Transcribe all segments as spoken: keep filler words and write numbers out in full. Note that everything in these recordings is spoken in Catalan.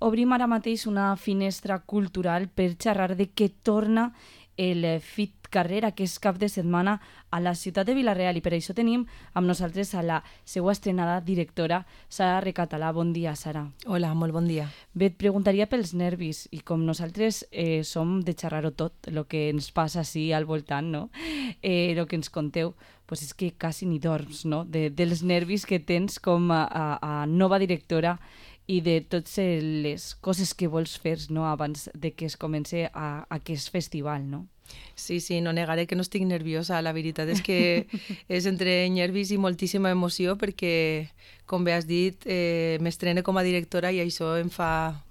obrim ara mateix una finestra cultural per xerrar de què torna el Fit Carrer aquest cap de setmana a la ciutat de Vila-real i per això tenim amb nosaltres a la seva estrenada directora, Sara Recatalà. Bon dia, Sara. Hola, molt bon dia. Bé, et preguntaria pels nervis i com nosaltres eh, som de xerrar-ho tot, el que ens passa així al voltant, no? Eh, el que ens conteu, pues és que quasi ni dorms, no? De, dels nervis que tens com a, a, a nova directora i de totes les coses que vols fer, no? Abans de que es comence a, a aquest festival, no? Sí, sí, no negaré que no estic nerviosa. La veritat és que és entre nervis i moltíssima emoció perquè, com bé has dit, eh, m'estrene com a directora i això em fa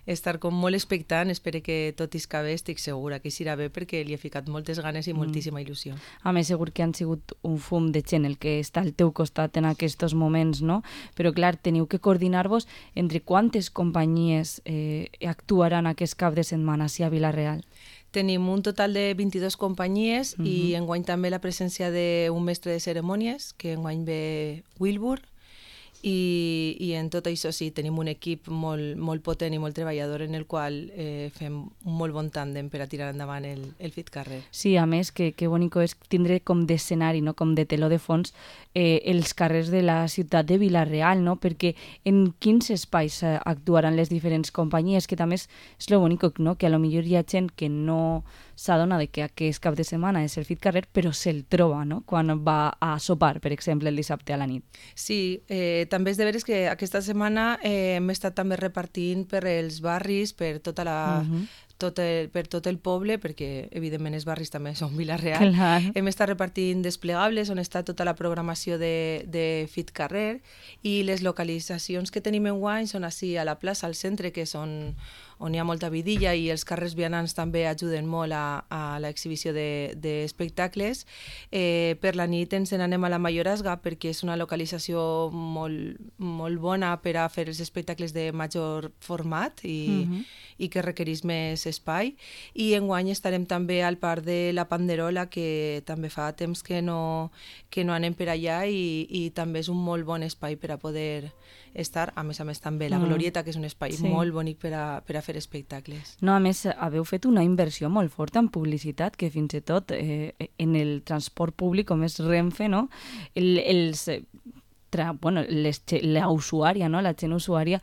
estar com molt expectant. Espero que tot isca bé, estic segura que irà bé perquè li he ficat moltes ganes i moltíssima il·lusió. A més, segur que han sigut un fum de gent el que està al teu costat en aquests moments, no? Però, clar, teniu que coordinar-vos entre quantes companyies eh, actuaran aquest cap de setmana a Vila-real. Tenim un total de vint-i-dues companyies uh-huh. i enguany també la presència d'un mestre de cerimònies, que enguany ve Wilbur, i, i en tot això sí, tenim un equip molt, molt potent i molt treballador en el qual eh, fem un molt bon tàndem per a tirar endavant el, el Fit Carrer. Sí, a més, que, que bonico és tindre com d'escenari, no? Com de teló de fons, eh, els carrers de la ciutat de Vila-real, no? Perquè en quins espais eh, actuaran les diferents companyies, que també és, és lo bonico, no? Que a lo millor hi ha gent que no s'adona de que aquest cap de setmana és el Fit Carrer, però se'l troba, no? Quan va a sopar, per exemple, el dissabte a la nit. Sí, eh, també és de veres que aquesta setmana eh, hem estat també repartint per els barris, per tota la... Uh-huh. Tot el, per tot el poble, perquè evidentment els barris també són Vila-real. Clar. Hem estat repartint desplegables on està tota la programació de, de Fit Carrer i les localitzacions que tenim enguany són així a la plaça, al centre, que són on hi ha molta vidilla i els carrers vianants també ajuden molt a, a l'exhibició d'espectacles. De, eh, per la nit ens n'anem a la Mayorazga perquè és una localització molt, molt bona per a fer els espectacles de major format i, uh-huh. i que requereix més espai, i enguany estarem també al Parc de la Panderola, que també fa temps que no, que no anem per allà i, i també és un molt bon espai per a poder estar, a més a més també la Glorieta, que és un espai sí. molt bonic per a, per a fer espectacles. No, a més, haveu fet una inversió molt forta en publicitat, que fins i tot eh, en el transport públic, com és Renfe, no? El, els... Tra, bueno, les, la usuària, no? La gent usuària,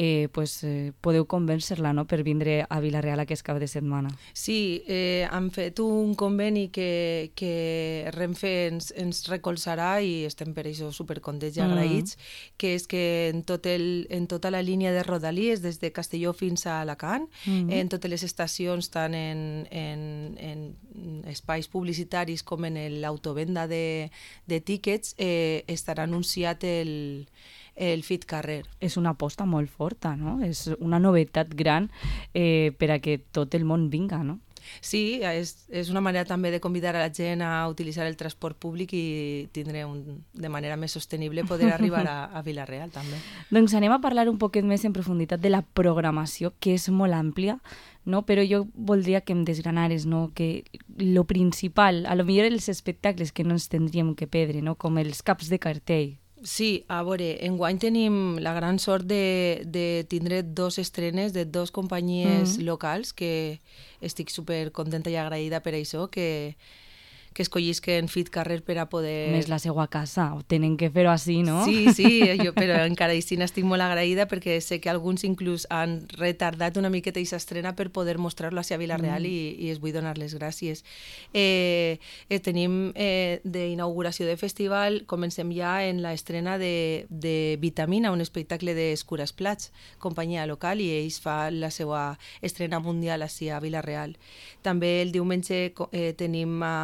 eh, pues, eh, podeu convèncer-la, no? Per vindre a Vila-real aquest cap de setmana. Sí, eh, han fet un conveni que, que Renfe ens, ens recolzarà i estem per això supercontents i agraïts, mm. que és que en, tot el, en tota la línia de Rodalies, des de Castelló fins a Alacant, mm. en totes les estacions, tant en, en, en espais publicitaris com en l'autovenda de, de tíquets, eh, estarà anunciat el, el Fit Carrer. És una aposta molt forta, no? És una novetat gran eh, per a que tot el món vinga, no? Sí, és, és una manera també de convidar a la gent a utilitzar el transport públic i tindre un, de manera més sostenible poder arribar a, a Vila-real també. Doncs anem a parlar un poquet més en profunditat de la programació, que és molt àmplia, no? Però jo voldria que em desgranares, no? Que lo principal, a lo millor els espectacles que no ens tindríem que perdre, no? Com els caps de cartell. Sí, a veure, enguany tenim la gran sort de, de tindre dos estrenes de dos companyies mm. locals, que estic super contenta i agraïda per això, que, que escollisquen Fit Carrer per a poder... Més la seva casa, tenen que fer-ho així, no? Sí, sí, jo, però encara així n'estic molt agraïda perquè sé que alguns inclús han retardat una miqueta aquesta estrena per poder mostrar-lo a Vila-real mm. i, i es vull donar les gràcies. Eh, eh, tenim eh, d'inauguració de festival, comencem ja en l'estrena de, de Vitamina, un espectacle d'Escures Plats, companyia local, i ells fa la seva estrena mundial així a Vila-real. També el diumenge eh, tenim a...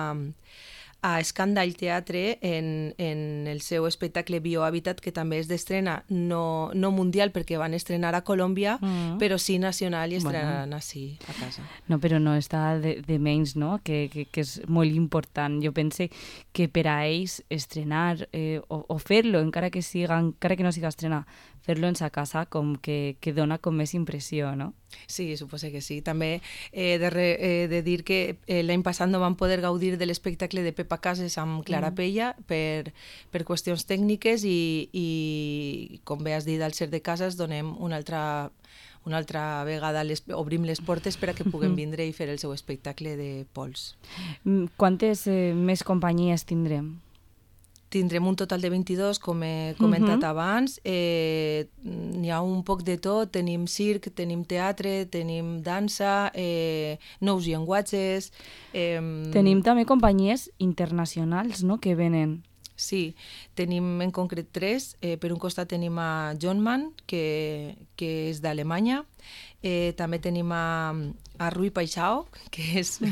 a Escàndall Teatre en, en el seu espectacle Biohàbitat, que també és d'estrena no, no mundial perquè van estrenar a Colòmbia, mm. però sí nacional i estrenaran bueno. Així a casa. No, però no està de, de menys, no? Que, que, que és molt important. Jo pense que per a ells estrenar eh, o, o fer-lo, encara que, siga, encara que no siga estrenar, fer-lo en sa casa com que, que dona com més impressió, no? Sí, suposo que sí. També he de, re, he de dir que eh, l'any passat no vam poder gaudir de l'espectacle de Pepa Casas amb Clara mm. Pella per, per qüestions tècniques i, i, com bé has dit, al ser de Casas donem una altra, una altra vegada les, obrim les portes per a que puguem vindre i fer el seu espectacle de pols. Quantes eh, més companyies tindrem? Tindrem un total de vint-i-dos, com he comentat uh -huh. abans. Eh, n'hi ha un poc de tot. Tenim circ, tenim teatre, tenim dansa, eh, nous llenguatges... Eh, tenim també companyies internacionals, no?, que venen. Sí, tenim en concret tres. Eh, per un costat tenim a Johnman, que, que és d'Alemanya. Eh, també tenim a, a Rui Paixao, que és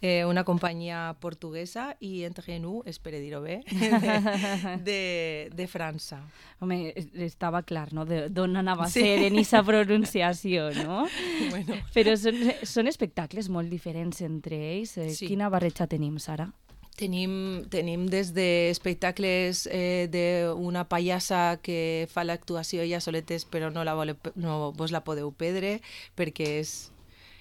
eh, una companyia portuguesa, i Entre nous, espero dir-ho bé, de, de, de França. Home, estava clar, no?, d'on anava a sí. ser en aquesta pronunciació, no? Bueno. Però són, són espectacles molt diferents entre ells. Sí. Quina barreja tenim, Sara? Tenim, tenim des d'espectacles eh, d'una pallassa que fa l'actuació ella soletes però no, la vole, no vos la podeu perdre perquè és,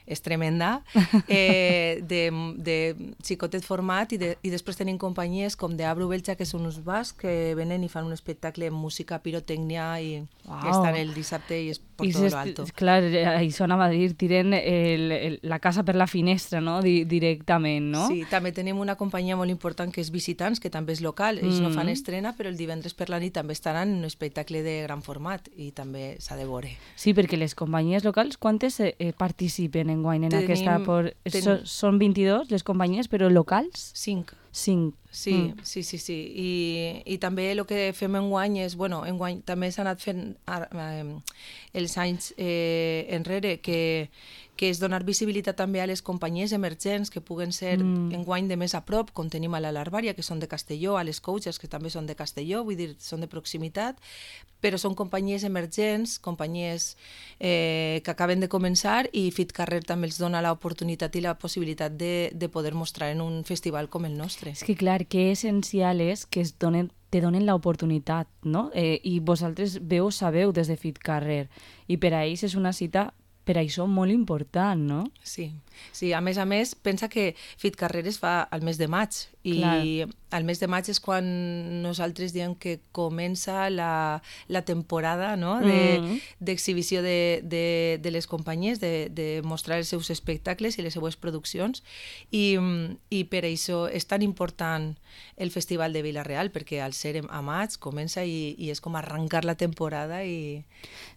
és tremenda, eh, de, de xicotet format i, de, i després tenim companyies com de Abru Belcha, que són uns bascs que venen i fan un espectacle amb música, pirotècnia i wow. estan el dissabte i és per tot lo alto. Clar, això anava a dir, tiren el, el, la casa per la finestra, no?, Di, directament, no? Sí, també tenim una companyia molt important que és Visitants, que també és local, ells mm. no fan estrena, però el divendres per la nit també estaran en un espectacle de gran format i també s'ha de veure. Sí, perquè les companyies locals, quantes eh, participen en guany en tenim, aquesta? Por... Ten... So, són vint-i-dos les companyies, però locals? Cinc. Cinc. Sí, mm. sí, sí, sí. I, i també el que fem enguany és, bueno, enguany també s'ha anat fent eh, els anys eh, enrere, que, que és donar visibilitat també a les companyies emergents que puguen ser mm. enguany de més a prop, com tenim a la Larvària, que són de Castelló, a les Coaches, que també són de Castelló, vull dir, són de proximitat, però són companyies emergents, companyies eh, que acaben de començar, i FitCarrer també els dona l'oportunitat i la possibilitat de, de poder mostrar en un festival com el nostre. És que clar, que essencial és que es donen, te donen l'oportunitat, no? Eh, I vosaltres veu, sabeu des de FitCarrer, i per a ells és una cita per això molt important, no? Sí, sí, a més a més, pensa que FitCarrer es fa al mes de maig, i clar. Al mes de maig és quan nosaltres diem que comença la, la temporada, no?, d'exhibició de, de, de les companyies, de, de mostrar els seus espectacles i les seues produccions, i, i per això és tan important el Festival de Vila-real, perquè al ser a maig comença i, i és com arrencar la temporada. I...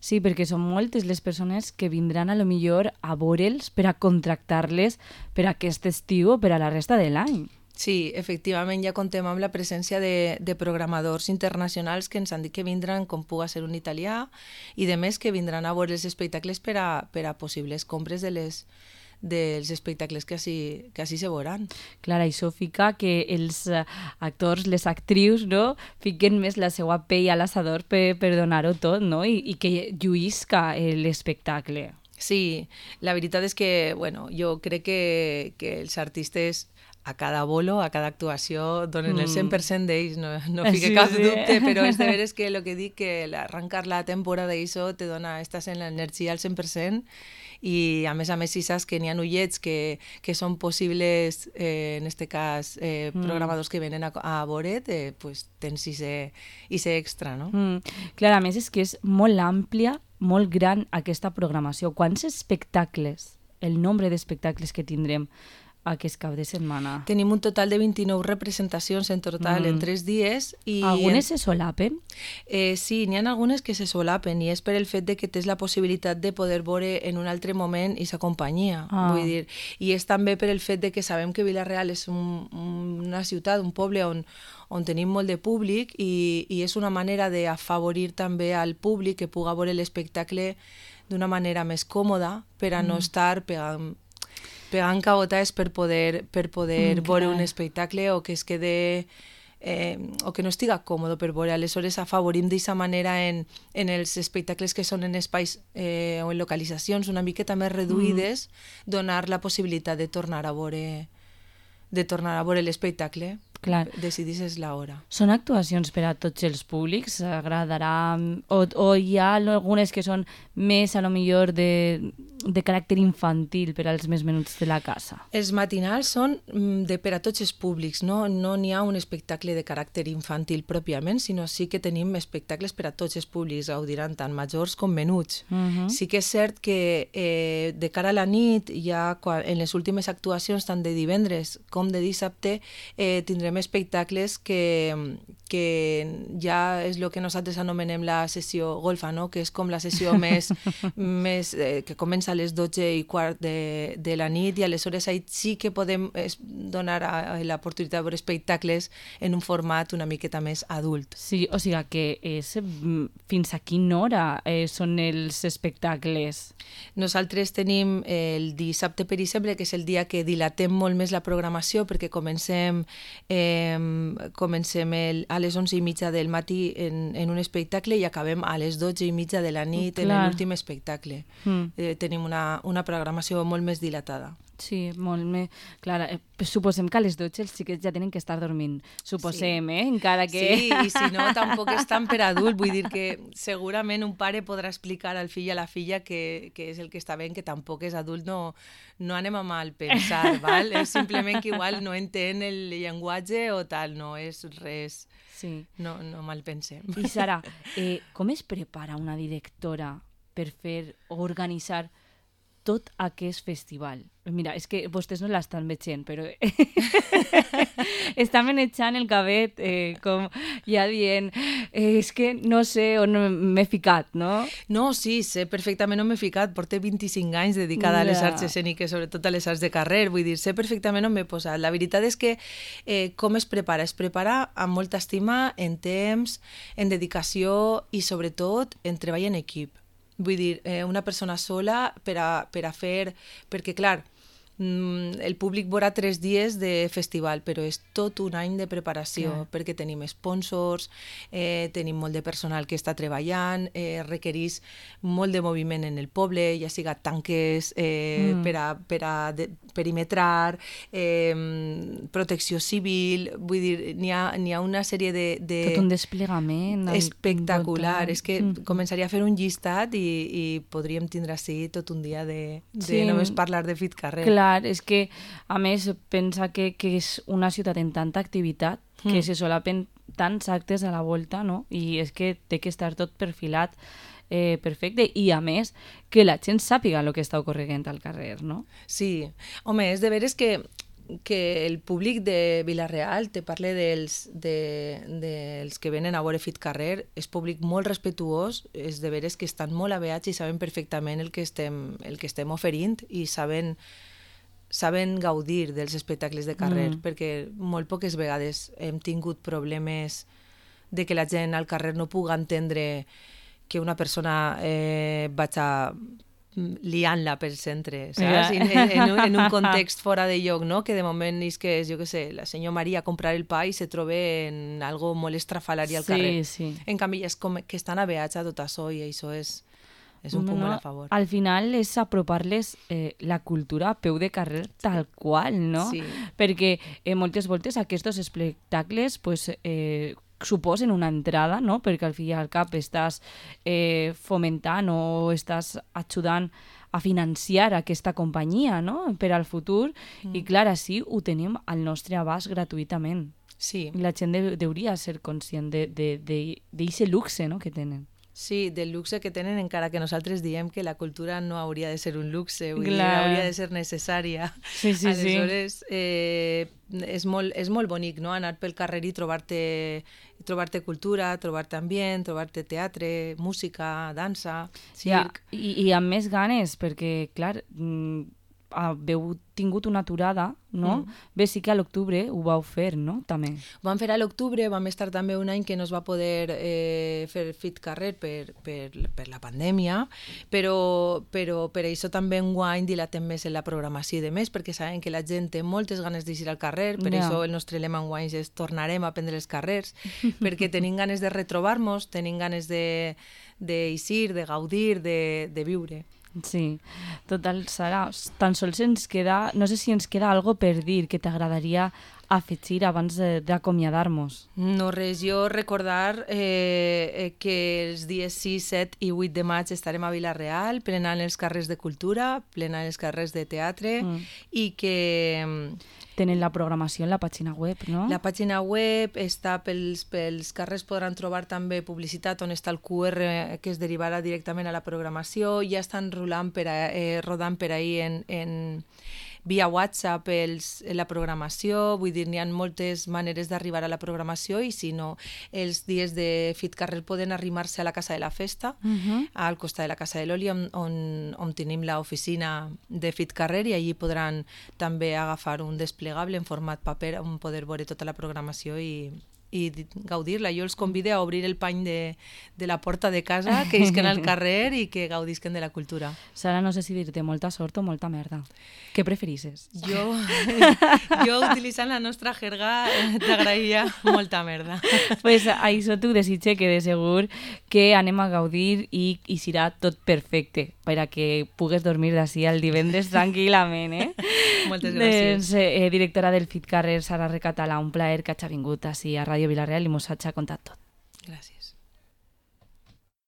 Sí, perquè són moltes les persones que vindran a lo millor a veure'ls per a contractar-les per aquest estiu o per a la resta de l'any. Sí, efectivament, ja contem amb la presència de, de programadors internacionals que ens han dit que vindran, com puga ser un italià, i de més que vindran a veure els espectacles per a, per a possibles compres de les, dels espectacles que així, que així se veuran. Clar, això fica que els actors, les actrius, no?, fiquen més la seva pell a l'assador per, per donar-ho tot, no?, I, i que lluïsca l'espectacle. Sí, la veritat és que, bueno, jo crec que, que els artistes a cada bolo, a cada actuació, donen mm. el cent per cent d'ells, no, no fique sí, cap sí. dubte, però és de veres que el que dic, que arrencar la temporada d'això te dona, estàs en l'energia al cent per cent, i a més a més si saps que n'hi ha ullets que, que són possibles, eh, en este cas, eh, mm. programadors que venen a, a veure't, eh, pues tens ese extra, no? Mm. Clar, a més és que és molt àmplia, molt gran aquesta programació. Quants espectacles, el nombre d'espectacles que tindrem aquest cap de setmana? Tenim un total de vint-i-nou representacions en total mm. en tres dies. I algunes en... se solapen? Eh, sí, n'hi ha algunes que se solapen, i és per el fet de que tens la possibilitat de poder veure en un altre moment aquesta companyia. Ah. Vull dir, i és també per el fet de que sabem que Vila-real és un, una ciutat, un poble on, on tenim molt de públic, i, i és una manera d'afavorir també al públic que puga veure l'espectacle d'una manera més còmoda per a mm. no estar pegant pegant cabotades per poder, per poder mm, veure un espectacle o que es quede eh, o que no estiga còmode per veure. Aleshores afavorim d'aquesta manera en, en els espectacles que són en espais eh, o en localitzacions una miqueta més reduïdes, mm. donar la possibilitat de tornar a veure de tornar a veure l'espectacle. Clar. Decidisses l'hora. Són actuacions per a tots els públics? Agradarà? O, o hi ha algunes que són més, a lo millor, de de caràcter infantil per als més menuts de la casa? Els matinals són de per a tots els públics, no no n'hi ha un espectacle de caràcter infantil pròpiament, sinó sí que tenim espectacles per a tots els públics, gaudiran tant majors com menuts. Uh-huh. Sí que és cert que eh, de cara a la nit, ja quan, en les últimes actuacions, tant de divendres com de dissabte, eh, tindrem espectacles que, que ja és el que nosaltres anomenem la sessió golfa, no? Que és com la sessió més, més eh, que comença a les dotze i quart de, de la nit, i aleshores ahí sí que podem donar a, a l'oportunitat de veure espectacles en un format una miqueta més adult. Sí, o sigui que és, fins a quina hora eh, són els espectacles? Nosaltres tenim el dissabte, per exemple, que és el dia que dilatem molt més la programació, perquè comencem, eh, comencem el, a les onze i mitja del matí en, en un espectacle i acabem a les dotze i mitja de la nit en l'últim espectacle. Mm. Eh, tenim una, una programació molt més dilatada. Sí, molt més... Clar, eh, suposem que a les dotze els xiquets ja tenen que estar dormint. Suposem, sí. eh? Encara que... Sí, i si no, tampoc és tan per adult. Vull dir que segurament un pare podrà explicar al fill i a la filla que, que és el que està bé, que tampoc és adult. No, no anem a mal pensar, val? És simplement que igual no entén el llenguatge o tal, no és res... Sí. No, no mal pensem. I Sara, eh, com es prepara una directora per fer o organitzar tot aquest festival? Mira, és que vostès no l'estan veient, però està manejant el cabet eh, com ja dient eh, és que no sé on m'he ficat, no? No, sí, sé perfectament on m'he ficat. Porto vint-i-cinc anys dedicada a les arts escèniques, sobretot a les arts de carrer. Vull dir, sé perfectament on m'he posat. La veritat és que eh, com es prepara? Es prepara amb molta estima, en temps, en dedicació i sobretot en treball en equip. Vull dir, eh, una persona sola per a, per a fer... Perquè, clar, el públic veurà tres dies de festival, però és tot un any de preparació, yeah. perquè tenim sponsors, eh, tenim molt de personal que està treballant, eh, requereix molt de moviment en el poble, ja siga tanques eh, mm. per a, per a de, perimetrar, eh, protecció civil, vull dir, n'hi ha, n'hi ha una sèrie de... de tot un desplegament espectacular, és que mm. començaria a fer un llistat i, i podríem tindre així tot un dia de, de sí. només parlar de Fit Carrer. Clar, és que, a més, pensa que, que és una ciutat en tanta activitat que mm. se solapen tants actes a la volta, no? I és que té que estar tot perfilat eh, perfecte i, a més, que la gent sàpiga el que està ocorrent al carrer, no? Sí. Home, és de veres que que el públic de Vila-real te parle dels, de, dels que venen a veure Fit Carrer, és públic molt respectuós, és de veres que estan molt aveats i saben perfectament el que estem, el que estem oferint i saben saben gaudir dels espectacles de carrer, mm. perquè molt poques vegades hem tingut problemes de que la gent al carrer no puga entendre que una persona eh, vaig a liant-la pel centre, saps? En, en, un, en un context fora de lloc, no? Que de moment és que, jo què sé, la senyora Maria a comprar el pa i se troba en algo molt estrafalari al carrer. Sí, sí. En canvi, és com que estan aveats a tot això i això és... és un punt no, molt a favor. Al final és apropar-les eh, la cultura a peu de carrer tal qual, no? Sí. Perquè eh, moltes voltes aquests espectacles pues, eh, suposen una entrada, no? Perquè al fi i al cap estàs eh, fomentant o estàs ajudant a financiar aquesta companyia, no? Per al futur. Mm. I clar, així ho tenim al nostre abast gratuïtament. Sí. I la gent de, hauria de ser conscient d'aquest luxe, no? Que tenen. Sí, del luxe que tenen, encara que nosaltres diem que la cultura no hauria de ser un luxe, vull dir, hauria de ser necessària. Sí, sí, Aleshores, sí. Eh, és, molt, és molt bonic, no?, anar pel carrer i trobar-te trobar-te cultura, trobar-te ambient, trobar-te teatre, música, dansa, circ... Ja, i, i amb més ganes, perquè, clar, haveu tingut una aturada, no? Mm. Bé, sí que a l'octubre ho vau fer, no? També. Ho vam fer a l'octubre, vam estar també un any que no es va poder eh, fer Fit Carrer per, per, per la pandèmia, però, però per això també enguany dilatem més en la programació i de més, perquè sabem que la gent té moltes ganes d'eixir al carrer, per yeah. això el nostre lema enguany és tornarem a prendre els carrers, perquè tenim ganes de retrobar-nos, tenim ganes d'eixir, de, de gaudir, de, de viure. Sí, total, Sara, tan sols ens queda, no sé si ens queda algo per dir que t'agradaria afegir abans d'acomiadar-nos? No res, jo recordar eh, que els dies sis, set i vuit de maig estarem a Vila-real plenant els carrers de cultura, plenant els carrers de teatre mm. i que... Tenen la programació en la pàgina web, no? La pàgina web està pels, pels carrers, podran trobar també publicitat on està el Q R que es derivarà directament a la programació, ja estan rolant per a, eh, rodant per ahir en, en via WhatsApp els, la programació, vull dir, n'hi ha moltes maneres d'arribar a la programació i si no, els dies de FitCarrer poden arrimar-se a la Casa de la Festa, uh-huh. al costat de la Casa de l'Oli, on, on, on tenim l'oficina de FitCarrer i allí podran també agafar un desplegable en format paper on poder veure tota la programació i i gaudir-la. Jo els convido a obrir el pany de, de la porta de casa, que isquen al carrer i que gaudisquen de la cultura. Sara, no sé si dir-te molta sort o molta merda. Què preferisses? Jo, jo utilitzant la nostra jerga, t'agrairia molta merda. Pues això t'ho desitge que de segur que anem a gaudir i, i serà tot perfecte per a que pugues dormir d'ací el divendres tranquil·lament, eh? Moltes gràcies. Doncs, eh, directora del FitCarrer, Sara Recatalà, un plaer que hagi vingut ací a Ràdio Vila-real i mos hagi contat tot. Gràcies.